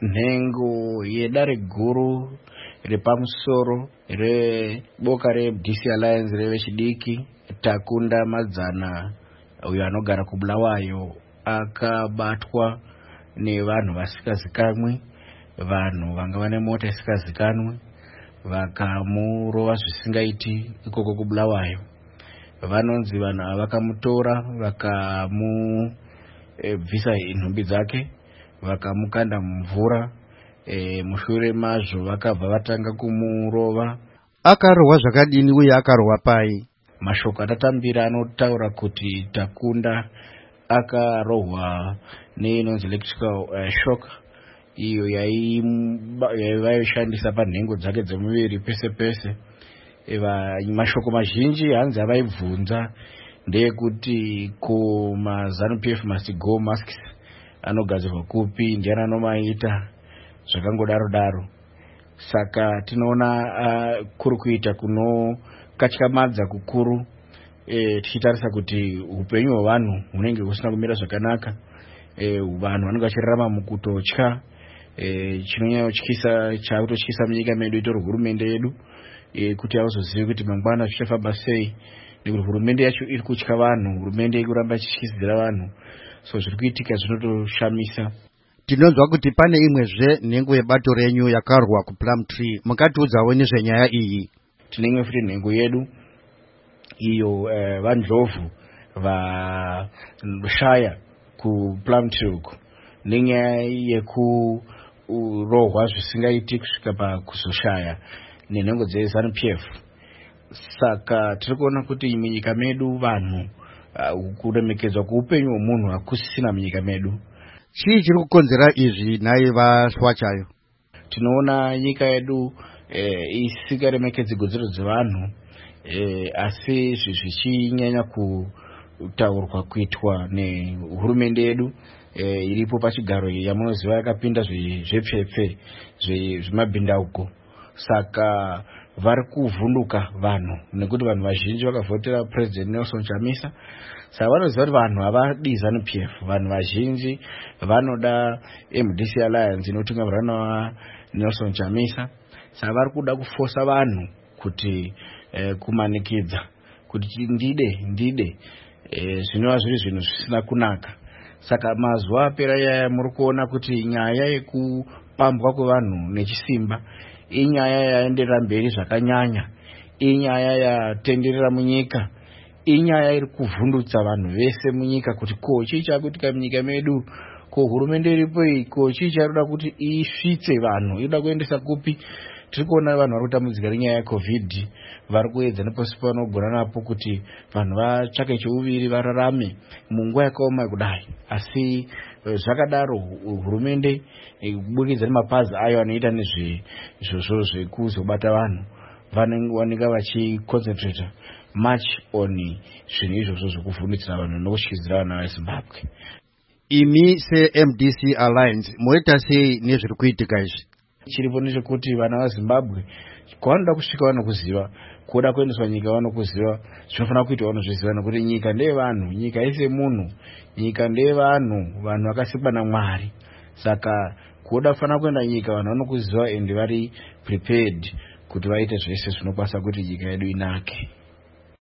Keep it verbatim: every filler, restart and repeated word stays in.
Nhengo yedare guru repamusoro reboka reM D C Alliance revechidiki, Takunda Madzana, uyo anogara kuBulawayo, akabatwa nevanhu vasingazikanwi, vanhu vanga vane mota isingazikanwi, vakamurova zvisingaiti ikoko kuBulawayo. Vanonzi vanhu ava vakamutora, vakamubvisa nhumbi dzake, vakamukanda mumvura. e, mushure mazvo vakabva vatanga kumurova. Akarohwa zvakadini uye akarohwa pai? Mashoko atatambira anotaura kuti Takunda akarohwa neinonzi electrical uh, shock, iyo yaivaishandisa panhengo dzake dzemuviri pese pese. Mashoko mazhinji hanzi avaibvunza ndeyekuti, ko maZANU P F must go masks anogadzirwa kupi? Ndiani anomaita? Zvakangodaro daro. Saka tinoona uh, kuri kuita kunokatyamadza kukuru, e, tichitarisa kuti upenyu hwevanhu hunenge husina kumira zvakanaka. e, vanhu vanenge vachirarama mukutotya. e, chinonyanyotyisa chaakutotyisa munyika medu itori hurumende yedu, e, kuti hauzozivi kuti mangwana zvichafamba sei, nekuti hurumende yacho iri kutya vanhu, hurumende iri kuramba ichityisidzira vanhu. So zviri kuitika zvinotoshamisa. Tinonzwa kuti pane imwezve nhengo yebato renyu yakarwa kuPlumtree. Mungatiudzawo nezvenyaya iyi? Tine imwe futi nhengo yedu iyo, eh, VaNdlovu, vashaya kuPlumtree uku nenyaya yekurohwa zvisingaiti kusvika pakuzoshaya nenhengo dzeZANU P F. Saka tiri kuona kuti munyika medu vanhu, uh, kuremekedzwa kweupenyu hwemunhu hakusisina munyika medu. Chii chiri kukonzera izvi nhai VaSwachayo? Tinoona nyika yedu eh, isingaremekedzi kodzero dzevanhu, eh, asi izvi zvichinyanya kutaurwa kuitwa nehurumende yedu eh, iripo pachigaro, yamunoziva yakapinda zvepfepfe, zvemabhindauko. Saka vari kuvhunduka vanhu nekuti vanhu vazhinji vakavhotera President Nelson Chamisa. Saka vanoziva kuti vanhu havadi ZANU P F, vanhu vazhinji vanoda M D C Alliance inotungamirwa naNelson Chamisa. Saka vari kuda kufosa vanhu kuti eh, kumanikidza kuti ndide ndide, eh, zvinova zviri zvinhu zvisina kunaka. Saka mazuva apera yaya muri kuona kuti nyaya yekupambwa kwevanhu nechisimba inyaya yaenderera mberi zvakanyanya, inyaya yatenderera munyika, inyaya iri kuvhundutsa vanhu vese munyika kuti ko chii chakuitika munyika medu? Ko hurumende iripo iyi, ko chii chainoda kuti isvitse vanhu? Inoda kuendesa kupi? Tiri kuona vanhu vari kutambudzika nenyaya yeCOVID, vari kuedza nepose pavanogona napo kuti vanhu vatsvake cheuviri, vararame munguva yakaoma kudai. Asi eh, zvakadaro, hurumende, eh, kubudikidza nemapazi ayo anoita nezveizvozvo zvekuzobata vanhu, vanowanika vachiconcentrata much on zvinhu izvozvo zvekuvhundutsira vanhu nokutyidzira vana veZimbabwe. Imi seM D C Alliance moita sei nezviri kuitika izvi? Chiripo ndechekuti vana vaZimbabwe kwavanoda kusvika vanokuziva, kuda kuendeswa nyika vanokuziva, zvinofanira kuitwa vanozviziva, nekuti nyika ndeyevanhu, nyika haisi yemunhu, nyika ndeyevanhu, vanhu vakasikwa naMwari. Saka kuda kufanira kuenda nyika vanhu vanokuziva and vari prepared kuti vaite zvese zvinokwanisa kuti nyika yedu inake.